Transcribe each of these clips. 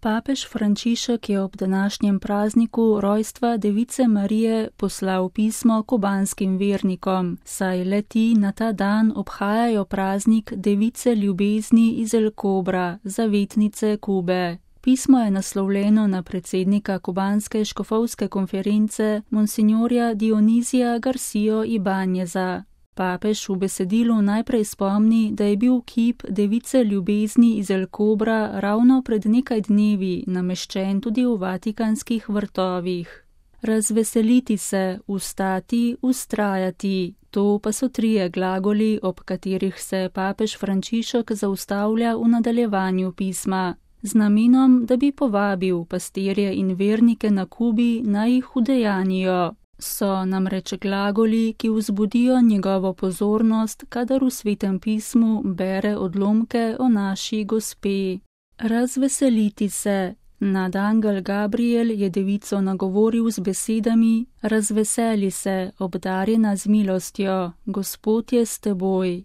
Papež Frančišek je ob današnjem prazniku rojstva Device Marije poslal pismo kubanskim vernikom, saj le-ti na ta dan obhajajo praznik Device ljubezni iz El Cobra, zavetnice Kube. Pismo je naslovljeno na predsednika kubanske škofovske konference monsignorja Dionizija Garcijo Ibanjeza. Papež v besedilu najprej spomni, da je bil kip Device ljubezni iz El Cobra ravno pred nekaj dnevi nameščen tudi v vatikanskih vrtovih. Razveseliti se, vstati, vztrajati. To pa so 3 glagoli, ob katerih se papež Frančišek zaustavlja v nadaljevanju pisma, z namenom, da bi povabil pastirje in vernike na Kubi, naj jih udejanijo. So namreč glagoli, ki vzbudijo njegovo pozornost, kadar v Svetem pismu bere odlomke o naši Gospe. Razveseliti se. Nadangel Gabriel je devico nagovoril z besedami: razveseli se, obdarjena z milostjo, Gospod je s teboj.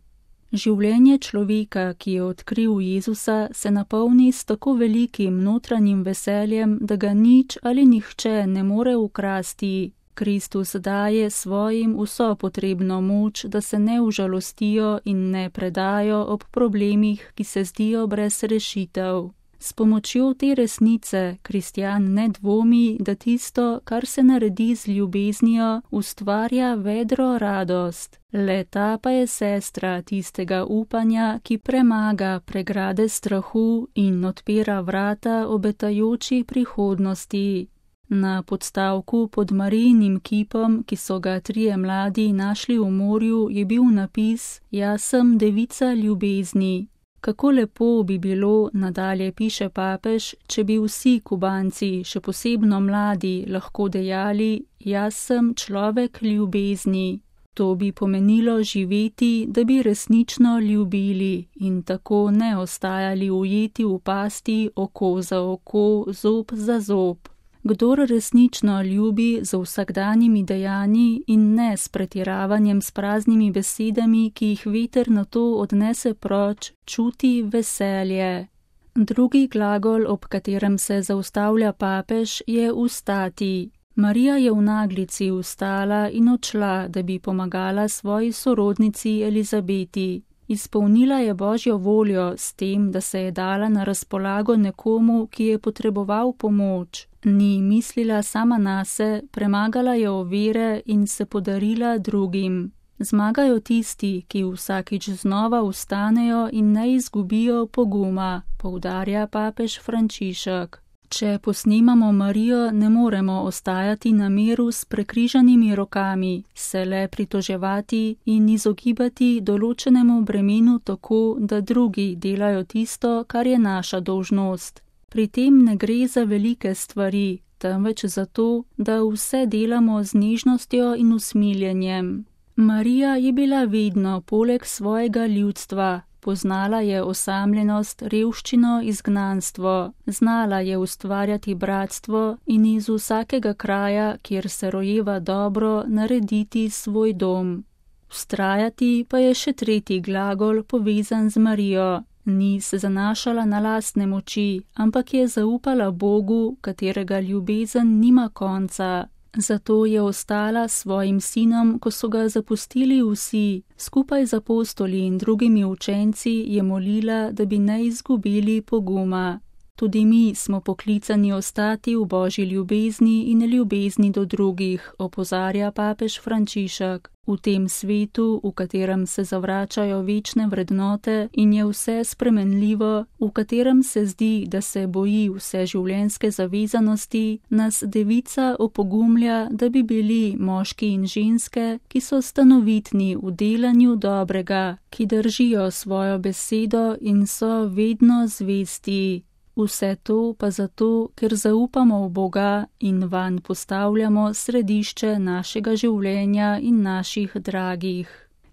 Življenje človeka, ki je odkril Jezusa, se napolni s tako velikim notranjim veseljem, da ga nič ali nihče ne more ukrasti. Kristus daje svojim vso potrebno moč, da se ne užalostijo in ne predajo ob problemih, ki se zdijo brez rešitev. S pomočjo te resnice kristjan ne dvomi, da tisto, kar se naredi z ljubeznijo, ustvarja vedro radost. Le ta pa je sestra tistega upanja, ki premaga pregrade strahu in odpira vrata obetajoči prihodnosti. Na podstavku pod Marijinim kipom, ki so ga 3 mladi našli v morju, je bil napis: Jaz sem devica ljubezni. Kako lepo bi bilo, nadalje piše papež, če bi vsi Kubanci, še posebno mladi, lahko dejali: Jaz sem človek ljubezni. To bi pomenilo živeti, da bi resnično ljubili in tako ne ostajali ujeti v pasti oko za oko, zob za zob. Kdor resnično ljubi z vsakdanjimi dejanji in ne s pretiravanjem s praznimi besedami, ki jih veter nato odnese proč, čuti veselje. Drugi glagol, ob katerem se zaustavlja papež, je vstati. Marija je v naglici vstala in odšla, da bi pomagala svoji sorodnici Elizabeti. Izpolnila je Božjo voljo s tem, da se je dala na razpolago nekomu, ki je potreboval pomoč. Ni mislila sama nase, premagala je ovire in se podarila drugim. Zmagajo tisti, ki vsakič znova vstanejo in ne izgubijo poguma, poudarja papež Frančišek. Če posnemamo Marijo, ne moremo ostajati na miru s prekrižanimi rokami, se le pritoževati in izogibati določenemu bremenu tako, da drugi delajo tisto, kar je naša dolžnost. Pri tem ne gre za velike stvari, temveč za to, da vse delamo z nežnostjo in usmiljenjem. Marija je bila vedno poleg svojega ljudstva. Poznala je osamljenost, revščino, izgnanstvo, znala je ustvarjati bratstvo in iz vsakega kraja, kjer se rojeva dobro, narediti svoj dom. Vztrajati pa je še 3. glagol povezan z Marijo. Ni se zanašala na lastne moči, ampak je zaupala Bogu, katerega ljubezen nima konca. Zato je ostala s svojim sinom, ko so ga zapustili vsi. Skupaj z apostoli in drugimi učenci je molila, da bi ne izgubili poguma. Tudi mi smo poklicani ostati v Božji ljubezni in ljubezni do drugih, opozarja papež Frančišek. V tem svetu, v katerem se zavračajo večne vrednote in je vse spremenljivo, v katerem se zdi, da se boji vse življenjske zavezanosti, nas devica opogumlja, da bi bili moški in ženske, ki so stanovitni v delanju dobrega, ki držijo svojo besedo in so vedno zvesti. Vse to pa zato, ker zaupamo v Boga in vanj postavljamo središče našega življenja in naših dragih.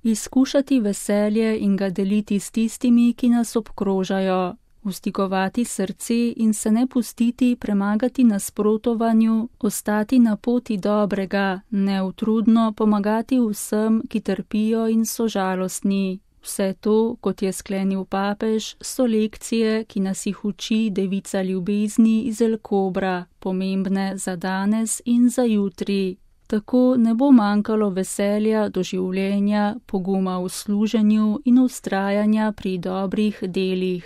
Izkušati veselje in ga deliti s tistimi, ki nas obkrožajo. Vstikovati srce in se ne pustiti premagati nasprotovanju, ostati na poti dobrega, neutrudno pomagati vsem, ki trpijo in so žalostni. Vse to, kot je sklenil papež, so lekcije, ki nas jih uči devica ljubezni iz El Kobra, pomembne za danes in za jutri. Tako ne bo manjkalo veselja do življenja, poguma v služenju in vztrajanja pri dobrih delih.